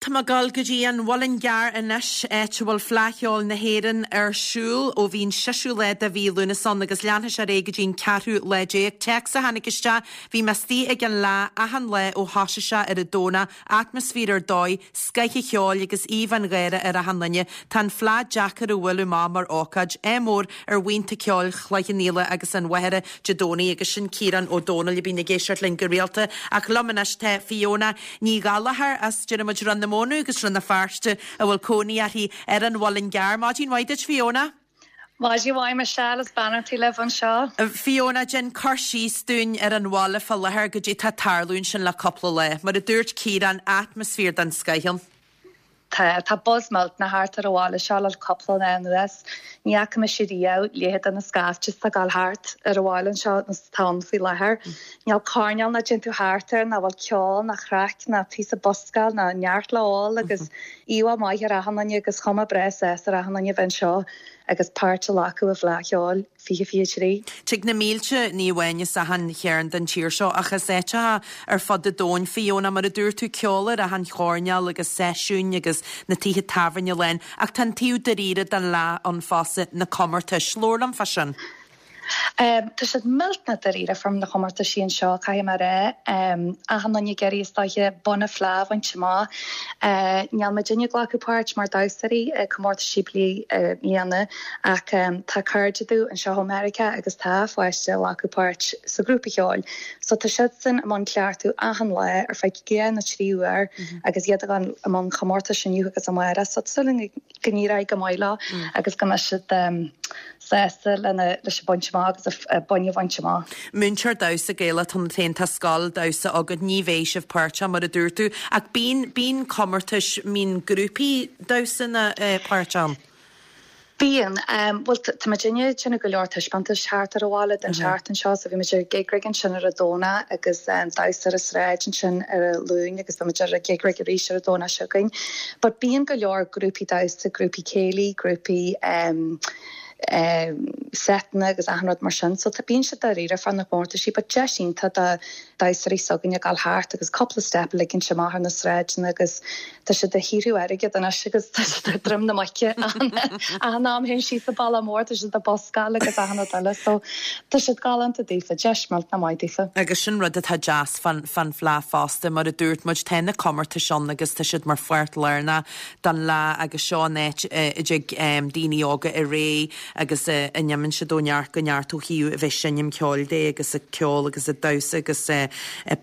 Tá mé ag dul go dtí an Mhuileann gCearr anois, áit a bhfuil Fleadh Cheoil na hÉireann ar siúl ó bhí an seisiú lá de mhí Lúnasa ann agus leanfaidh sé ar aghaidh go dtí an ceathrú lá déag. Téacs a tháinig isteach, Bhí mé istigh ag an Fhleadh achan lá ó thoisigh sé ar an Domhnach, atmaisféar ar dóigh, scoith an cheoil agus aoibh an gháire ar achan duine. Tá an Fleadh deacair a bhualadh amach mar ócáid. Ádh mór ar bhuíonta ceoil Chloich Cheann Fhaola agus an Mhachaire Dé Domhnaigh agus sin Ciarán Ó Domhnaill a bhíonn ag éisteacht linn go rialta. Ach liom anois tá Fiona Ní Ghallchóir as, déarfaidh muid, Rann na Mónadh agus Rann na Feirste a bhfuil cónaí uirthi ar an Mhuileann gCearr. Maidin mhaith duit Fiona. Maidin mhaith Michelle is beannachtaí libh anseo. Fiona, déan cur síos dúinn ar an bhaile fá láthair, goidé tá ag tarlú ansin le cúpla lá. Mar a dúirt Ciarán, atmaisféar den scoith ann. Tá, tá buzz millteanach thart ar an bhaile seo le cúpla lá anuas. Ní fhaca mise riamh leithéid de na scaifte atá ag gabháil thart ar an bhaile anseo nó atá ann faoi láthair. Níl coirnéal nach dtéann tú thart air nach bhfuil ceol ná craic ná píosa buscáil ná neart le ól agus íomhá maith ar achan duine agus chuma breá sásta ar achan duine a bheith anseo agus páirt a ghlacadh i bhFleadh Cheoil. 2023. Tig na mílte, ní amháin as achan chearn den tír seo ach as áiteacha ar fud an domhain, Fiona, mar a dúirt tú, ceol ar achan choirnéal agus seisiúin agus na tithe tábhairne lán, ach tá an taobh dáiríre den fhleadh ann fosta, na comórtais. Labhair liom fá sin. Tá siad millteanach dáiríre fá na comórtaisí anseo, caithfidh mé a rá. Achan duine ag iarraidh is dóiche bonn na fleá a bhaint amach. Níl muidinne ag glacadh páirt mar damhsóirí i comórtaisí bliana Ach tá cairde domh anseo ó Meiriceá agus tá a pháiste ag glacadh páirt sa ghrúpa cheoil. So tá siadsan i mbun cleachtadh achan lá ar feadh 2 nó 3 uair agus iad ag dul i mbun chomórtais inniu agus amárach. So tá súil againn go n-éireoidh go maith leo agus go mbeidh siad sásta lena leis an baint amach agus a boinn a bhaint amach. Múinteoir damhsa Gaelach tú féin, tá scoil damhsa agat, ní bheidh sibh páirteach mar a dúirt tú, ach bíonn, bíonn comórtais, mbíonn grúpaí damhsa na páirteach ann? Bíonn. Bhuel, tá muidinne ag déanamh go leor taispeántais thart ar an bhaile don tseachtain seo, so bhí muid ar gig rig ansin ar an Domhnach agus damhsa ar an sráid ansin ar an Luan agus beidh muid ar an gig rig arís ar an Domhnach seo chugainn. But bíonn go leor grúpaí damhsa, grúpaí céilí, grúpaí seiteanna agus achan rud mar sin, so tá, bíonn siad dáiríre fá na comórtaisí but deis iontach do damhsóirí s'againne gabháil thart agus cúpla step a ligint amach ar na sráideanna agus Tá siad ag saothrú airgead anois agus tá siad ar droim na muice achan am a théann siad sa baile mór, tá siad ag buscáil agus achan rud eile so tá siad galánta daofa, deis millteanach maith daofa. Agus sin rud atá deas fán fán Fhleadh fosta, mar a dúirt muid, tá na comórtais ann agus tá siad mar pháirt lárnach den Fhleadh agus seo an áit a dtig daoine óga ar aghaidh agus a n-imíonn siad ó neart go neart ó thaobh a bheith ag seinm ceoil de agus ag ceol agus ag damhsa agus ag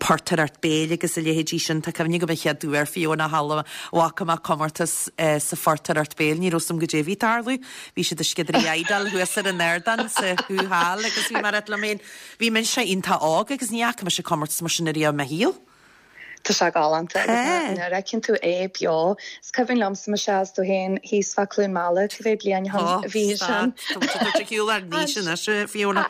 portaireacht béil agus a leithéidí sin. Tá cuimhne agam an chéad uair, Fiona, a bhfaca mé comórtas sa phortaireacht béil, ní raibh 's a'm goidé a bhí ag tarlú. Bhí siad ag sciodairí éadail thuas ar an ardán sa Hall agus bhí mé ag rá liom féin, bhí mise iontach óg agus ní fhaca mise comórtas mar sin ariamh i mo shaol. Tá sé galánta agus nuair a fheiceann tú é beo, is cuimhin liomsa Michelle is tú féin thíos fá Cluain Meala cibé bliain ó shin a bhí sin. Tá muid ag tabhairt ar shiúl ár n-aois anois, Fiona.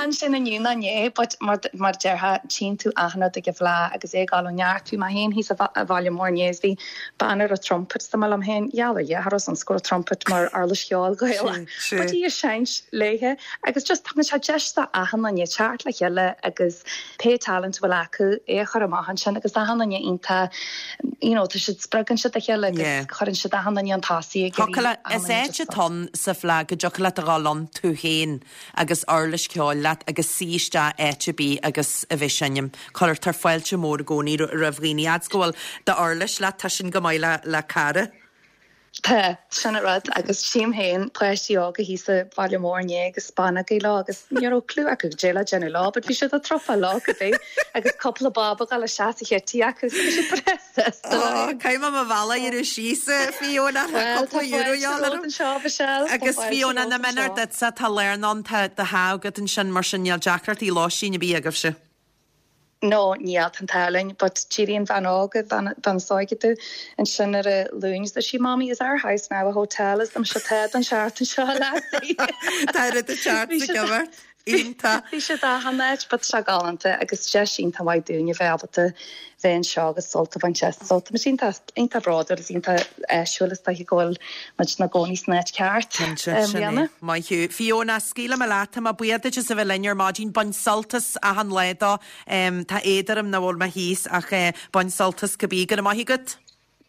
Ansin inniu ná inné, but mar mar a déarfá, tchíonn tú achan rud ag an bhFleá agus é ag dul ó neart. Bhí mé féin thíos i Bhaile Mór inné is bhí bean a raibh trumpet, is mé liom féin, gheall ar Dhia, cha raibh 's a'msa go raibh trumpet mar uirlis cheoil Ghaelach. But í ag seinnt léithe agus just tugann sé deis do achan duine teacht le chéile agus pé talent a bhfuil acu, é a chur amach ansin agus achan duine iontach, you know, tá siad, spreagann siad a chéile agus Yeah. cuireann siad achan duine chun tosaigh ag iarraidh Thiocfadh leat, achan is duine áit just atá ann sa Fhleadh go dtiocfadh leat a dhul ann tú féin agus uirlis ceoil leat agus suí isteach áit ar bith agus a bheith ag seinm. Cuirtear fáilte mór i gcónaí roimh dhaoine. Fhad's go bhfuil d'uirlis leat, tá sin go maith le, le cara. Tá, sin an rud agus tchím féin páistí óga thíos sa bhaile mór inné agus bean agaí leo agus ní raibh clue acu goidé le déanamh leo but bhí siad ag trupáil leo cibé agus cúpla bob ag dul isteach sa chití acu so bhí siad breá sásta leo. Ó, caithfidh mé mo bhealach a dhéanamh síos, a Fiona, tá Bhuel, tá cúpla euro fáilte dhall romhat orm. anseo, Michelle, tá Agus fáilte Fiona, romhat nach méanar anseo. duitse, tá lárna ann, tá do theach agat ansin mar sin níl deacrachtaí lóistín ar bith agaibhse. No, níl, tá an t-ádh linn, but d'éirigh an bhean óg, an bhean is óige domh, ansin ar an Luan is dúirt sí, Mommy, is our house now a hotel? Is dom tá don seachtain seo, a lassie. Tá rud ag teacht Bhí sa siad, gcimeacht. Iontach. bhí siad achan áit, but tá sé galánta agus deis iontach mhaith dúinn a bheith ábalta bheith anseo agus sult a bhaint as. So tá muid iontach, iontach bródúil is iontach áisiúil is dóiche go bhfuil muid inár gcónaí san áit ceart Cinnte, i sin é. mbliana. Maith thú. Fiona, scaoilfidh mé leat, tá mé buíoch duit as a bheith linn ar maidin. Bain sult as achan lá dó. Tá éad orm nach bhfuil mé thíos ach bain sult as cibé. Go raibh maith agat.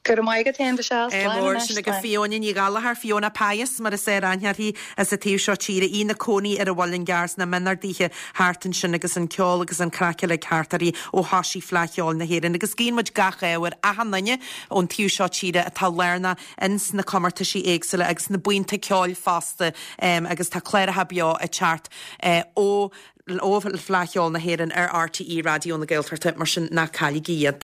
Go raibh maith agat féin, Michelle. Slán mór. anois. Sin agaibh Fiona Ní Ghallchóir, Fiona Pius mar is fearr aithne uirthi as an taobh seo tíre, í ina cónaí ar an Mhuileann gCearr sna mionardaithe thart ansin agus an ceol agus an craic uilig thart uirthi ó thoisigh Fleadh Cheoil na hÉireann. Agus guíonn muid gach ádh ar achan duine ón taobh seo tíre atá lárnach ins na comórtaisí éagsúla agus na buíonta ceoil fosta agus tá cláracha beo ag teacht ó ó Fleadh Cheoil na hÉireann ar RTÉ Raidió na Gaeltachta mar sin ná cailligí iad.